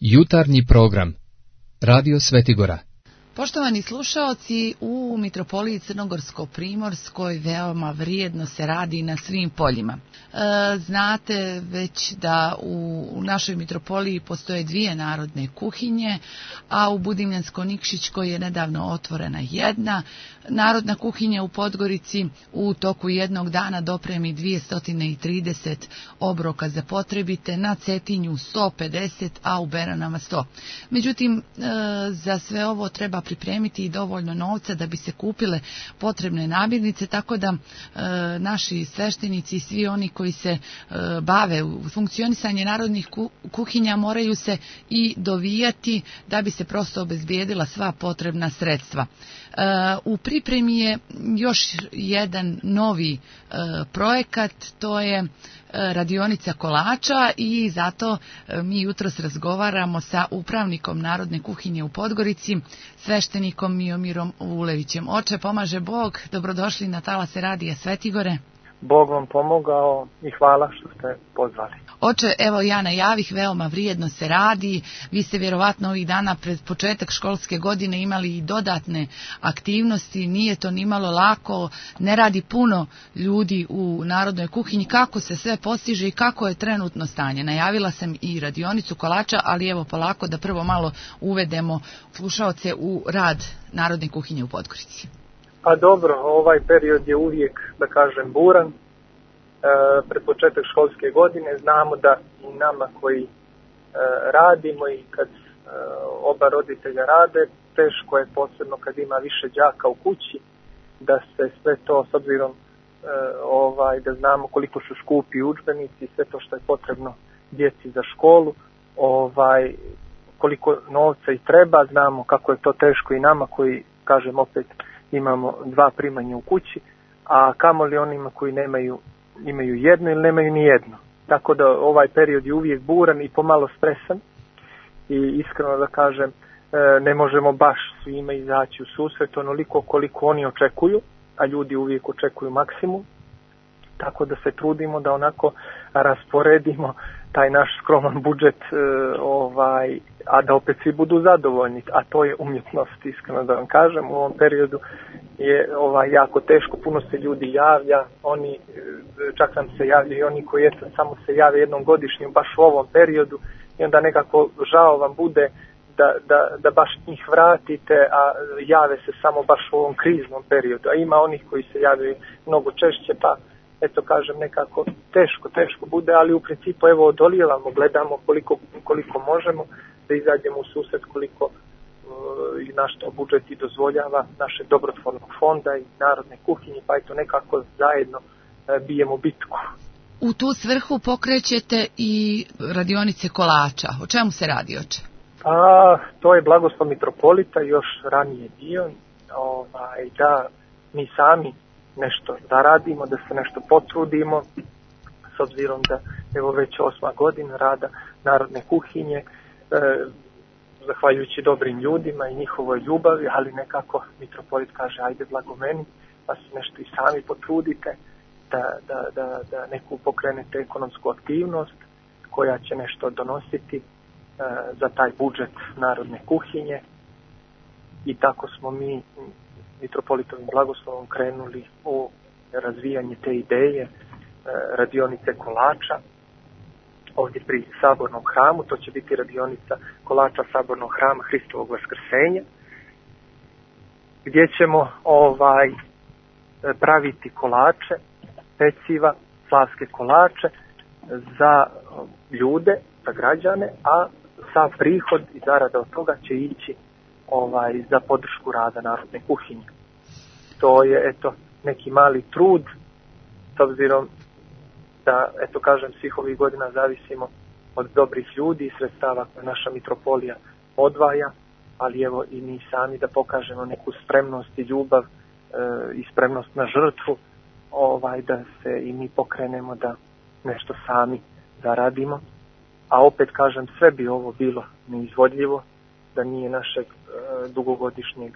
Jutarnji program Radio Svetigora. Poštovani slušaoci, u Mitropoliji Crnogorsko-Primorskoj veoma vrijedno se radi na svim poljima. Znate već da u našoj Mitropoliji postoje 2 narodne kuhinje, a u Budimljansko-Nikšićkoj je nedavno otvorena jedna. Narodna kuhinja u Podgorici u toku jednog dana dopremi 230 obroka za potrebite, na Cetinju 150, a u Beranama 100. Međutim, za sve ovo treba pripremiti i dovoljno novca da bi se kupile potrebne namirnice, tako da naši sveštenici i svi oni koji se bave u funkcionisanje narodnih kuhinja moraju se i dovijati da bi se prosto obezbijedila sva potrebna sredstva. U pripremi je još jedan novi projekat, to je radionica kolača, i zato mi jutros razgovaramo sa upravnikom Narodne kuhinje u Podgorici, sveštenikom Miomirom Vulevićem. Oče, pomaže Bog, dobrodošli na talase Radija Svetigore. Bog vam pomogao i hvala što ste pozvali. Oče, evo ja najavih, veoma vrijedno se radi. Vi ste vjerovatno ovih dana pred početak školske godine imali i dodatne aktivnosti. Nije to nimalo lako, ne radi puno ljudi u Narodnoj kuhinji. Kako se sve postiže i kako je trenutno stanje? Najavila sam i radionicu kolača, ali evo polako da prvo malo uvedemo slušaoce u rad Narodne kuhinje u Podgorici. Pa dobro, ovaj period je uvijek, da kažem, buran. Pred početak školske godine znamo da i nama koji radimo i kad oba roditelja rade, teško je, posebno kad ima više đaka u kući, da se sve to, s obzirom da znamo koliko su skupi udžbenici, sve to što je potrebno djeci za školu, koliko novca i treba, znamo kako je to teško i nama koji, kažem opet, imamo 2 primanja u kući, a kamoli onima koji imaju jedno ili nemaju ni jedno. Tako da ovaj period je uvijek buran i pomalo stresan i iskreno da kažem, ne možemo baš svima izaći u susret onoliko koliko oni očekuju, a ljudi uvijek očekuju maksimum. Tako da se trudimo da onako rasporedimo taj naš skroman budžet, a da opet svi budu zadovoljni, a to je umjetnost, iskreno da vam kažem. U ovom periodu je jako teško, puno se ljudi javlja, oni, čak nam se javljaju i oni koji samo se jave jednom godišnje baš u ovom periodu, i onda nekako žao vam bude da baš njih vratite, a jave se samo baš u ovom kriznom periodu, a ima onih koji se javljaju mnogo češće, pa eto kažem, nekako teško bude, ali u principu evo odolijevamo, gledamo koliko možemo da izađemo u susret, koliko i naš to budžet i dozvoljava, naše dobrotvornog fonda i Narodne kuhinje, pa eto nekako zajedno bijemo bitku. U tu svrhu pokrećete i radionice kolača. O čemu se radi, oče? To je blagoslov mitropolita, još ranije bio, da mi sami nešto zaradimo, da se nešto potrudimo, s obzirom da evo već 8. godina rada Narodne kuhinje, zahvaljujući dobrim ljudima i njihovoj ljubavi, ali nekako mitropolit kaže ajde blago meni, pa se nešto i sami potrudite da neku pokrenete ekonomsku aktivnost koja će nešto donositi za taj budžet Narodne kuhinje, i tako smo mi mitropolitovim blagoslovom krenuli u razvijanje te ideje radionice kolača ovdje pri Sabornom hramu. To će biti radionica kolača Sabornog hrama Hristovog Vaskrsenja, gdje ćemo praviti kolače, peciva, slavske kolače za ljude, za građane, a sav prihod i zarada od toga će ići za podršku rada Narodne kuhinje. To je eto neki mali trud, s obzirom da eto kažem svih ovih godina zavisimo od dobrih ljudi i sredstava koje naša mitropolija odvaja, ali evo i mi sami da pokažemo neku spremnost i ljubav i spremnost na žrtvu, da se i mi pokrenemo da nešto sami zaradimo. A opet kažem, sve bi ovo bilo neizvodljivo da nije našeg dugogodišnjeg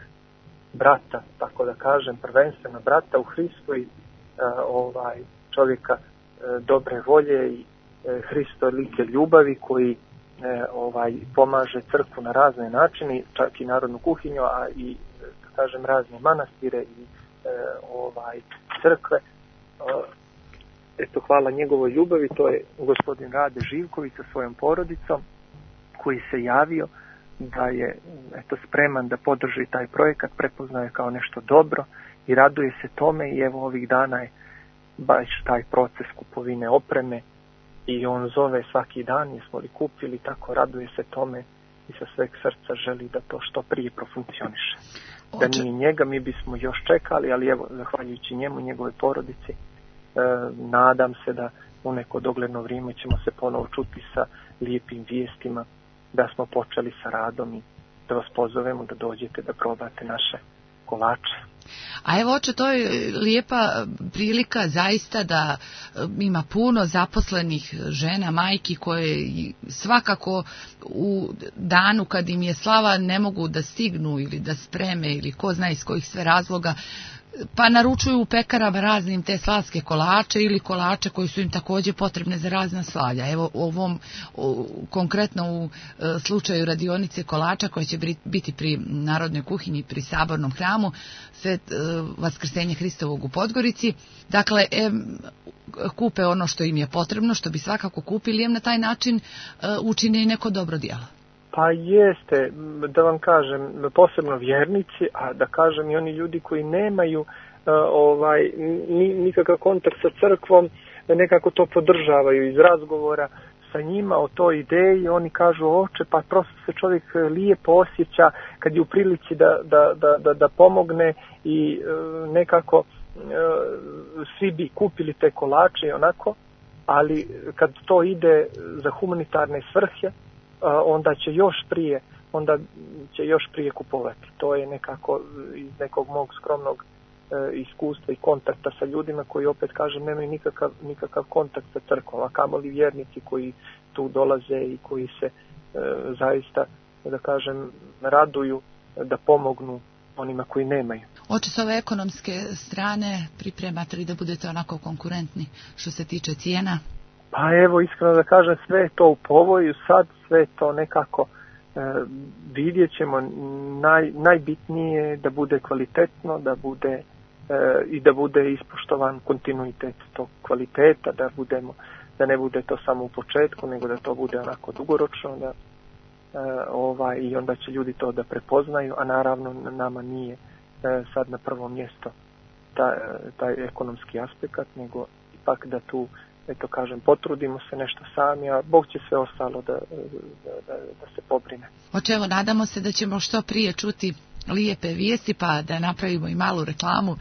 brata, tako da kažem, prvenstveno brata u Hristu i čovjeka dobre volje i Hristolike ljubavi koji pomaže crkvu na razne načine, čak i narodnu kuhinju, a i da kažem razne manastire i crkve. Eto, hvala njegovoj ljubavi, to je gospodin Rade Živković sa svojom porodicom, koji se javio da je spreman da podrži taj projekat, prepoznaje kao nešto dobro i raduje se tome, i evo ovih dana je baš taj proces kupovine opreme i on zove svaki dan, jesmo li kupili, tako raduje se tome i sa sveg srca želi da to što prije profunkcioniše. Da nije njega, mi bismo još čekali, ali evo, zahvaljujući njemu, njegove porodici, nadam se da u neko dogledno vrijeme ćemo se ponovo čuti sa lijepim vijestima da smo počeli sa radom i da vas pozovemo da dođete da probate naše kolače. A evo, oče, to je lijepa prilika zaista da ima puno zaposlenih žena, majki koje svakako u danu kad im je slava ne mogu da stignu ili da spreme ili ko zna iz kojih sve razloga, pa naručuju u pekarama raznim te slavske kolače ili kolače koji su im također potrebne za razna slavlja. Evo konkretno u slučaju radionice kolača koja će biti pri Narodnoj kuhinji, pri Sabornom hramu Vaskrsenje Hristovog u Podgorici. Dakle, kupe ono što im je potrebno, što bi svakako kupili, na taj način učine i neko dobro djelo. Pa jeste, da vam kažem, posebno vjernici, a da kažem i oni ljudi koji nemaju nikakav kontakt sa crkvom, nekako to podržavaju iz razgovora sa njima o toj ideji. Oni kažu, oče, pa prosto se čovjek lijepo osjeća kad je u prilici da pomogne i nekako svi bi kupili te kolače i onako, ali kad to ide za humanitarne svrhe, onda će još prije kupovati. To je nekako iz nekog mog skromnog iskustva i kontakta sa ljudima koji, opet kažem, nemaju nikakav kontakt sa crkvom, a kamoli vjernici koji tu dolaze i koji se zaista, da kažem, raduju da pomognu onima koji nemaju. Oče, s ove ekonomske strane pripremate li da budete onako konkurentni što se tiče cijena? Pa evo, iskreno da kažem, sve je to u povoju, sad sve to nekako vidjet ćemo. Najbitnije da bude kvalitetno, da bude ispoštovan kontinuitet tog kvaliteta, da ne bude to samo u početku, nego da to bude onako dugoročno, i onda će ljudi to da prepoznaju, a naravno nama nije sad na prvo mjesto taj ekonomski aspekt, nego ipak da tu, eto kažem, potrudimo se nešto sami, a Bog će sve ostalo da se pobrine. Oče, evo, nadamo se da ćemo što prije čuti lijepe vijesti, pa da napravimo i malu reklamu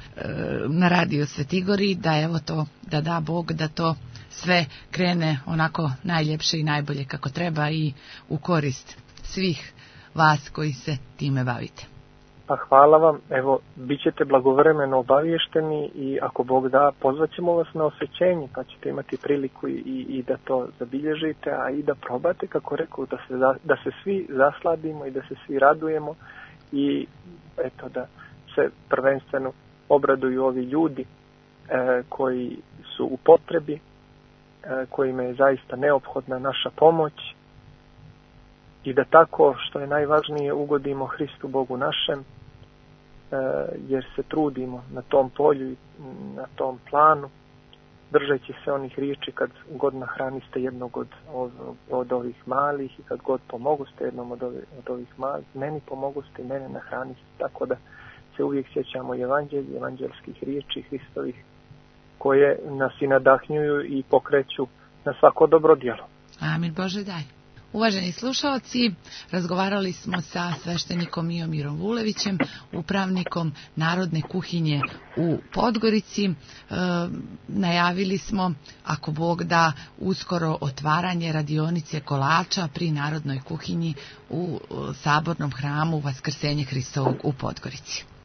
na Radio Svetigori, da evo to, da da Bog da to sve krene onako najljepše i najbolje kako treba i u korist svih vas koji se time bavite. Pa hvala vam, evo, bit ćete blagovremeno obavješteni i ako Bog da, pozvat ćemo vas na osvećenje, pa ćete imati priliku i da to zabilježite, a i da probate, kako rekao, da se svi zasladimo i da se svi radujemo i eto da se prvenstveno obraduju ovi ljudi koji su u potrebi, kojima je zaista neophodna naša pomoć, i da tako, što je najvažnije, ugodimo Hristu Bogu našem, jer se trudimo na tom polju i na tom planu, držeći se onih riječi, kad god nahraniste jednog od ovih malih i kad god pomoguste jednom od ovih malih, meni pomoguste i mene nahraniste, tako da se uvijek sjećamo evanđelskih riječi Hristovih, koje nas i nadahnjuju i pokreću na svako dobro djelo. Amin, Bože daj. Uvaženi slušalci, razgovarali smo sa sveštenikom Miomirom Vulevićem, upravnikom Narodne kuhinje u Podgorici. Najavili smo, ako Bog da, uskoro otvaranje radionice kolača pri Narodnoj kuhinji u Sabornom hramu Vaskrsenje Hristovog u Podgorici.